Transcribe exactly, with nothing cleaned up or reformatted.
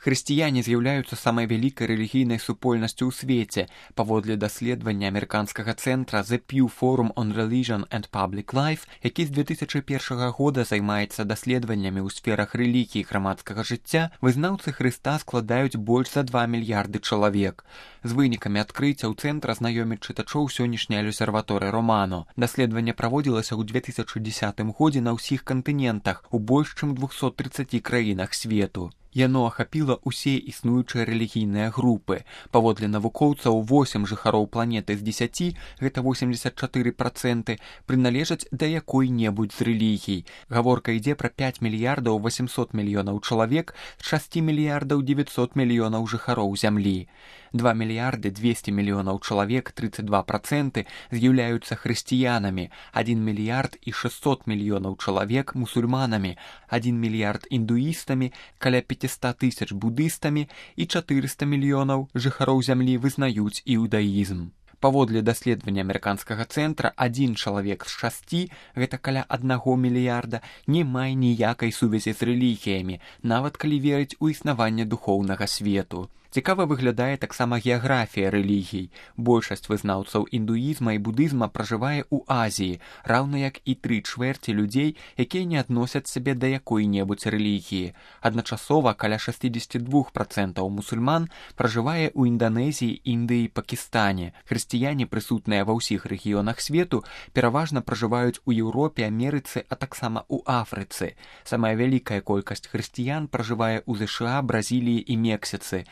Хрысціяне з'яўляюцца самай вялікай рэлігійнай супольнасцю ў свеце. Паводле даследавання амерыканскага цэнтра The Pew Forum on Religion and Public Life, які з две тысячы першага года займаецца даследаваннямі ў сферах рэлігіі і грамадскага жыцця, вызнаўцы Хрыста складаюць больш за два мільярды чалавек. З вынікамі адкрыццяў цэнтра знаёміць чытачоў сённяшняй абсерваторыі Романо. Даследаванне праводзілася ў две тысячы дзесятым годзе на ўсіх кантынентах у больш чым двухсот трыццаці краінах свету. Яно ахапіла ўсе існуючыя рэлігійныя групы. Паводле навукоўцаў, восем жыхароў планеты з дзесяці, гэта восемьдесят чатыры працэнты, прыналежаць да якой-небудзь з рэлігій. Гаворка ідзе пра пяць мільярдаў восемьсот мільёнаў чалавек з шасці мільярдаў дзевяцьсот мільёнаў жыхароў зямлі. два мільярды двести мільёнаў чалавек, тридцать два працэнты, з'яўляюцца хрысціянамі, один мільярд і шестьсот мільёнаў чалавек мусульманамі, один мільярд індуістамі, каля пятьсот тысяч будыстамі і чатырыста мільёнаў жыхароў зямлі вызнаюць іудаізм. Паводле даследавання амерыканскага цэнтра, адзін чалавек з шасці, гэта каля аднаго мільярда, не мае ніякай сувязі з рэлігіямі, нават калі верыць у існаванне духоўнага свету. Цікава выглядае таксама геаграфія рэлігій. Большасць вызнаўцаў індуізма і будызма пражывае ў Азіі, раўна як і тры чвэрці людзей, якія не адносяць сябе да якой-небудзь рэлігіі. Адначасова каля шестьдесят два працэнты мусульман пражывае ў Інданезіі, Індыі і Пакістане. Хрысціяне, прысутныя ва ўсіх рэгіёнах свету, пераважна пражываюць у Еўропе, Амерыцы, а таксама ў Афрыцы. Самая вялікая колькасць хрысціян пражывае ў ЗША, Бразіліі і Мексіцы.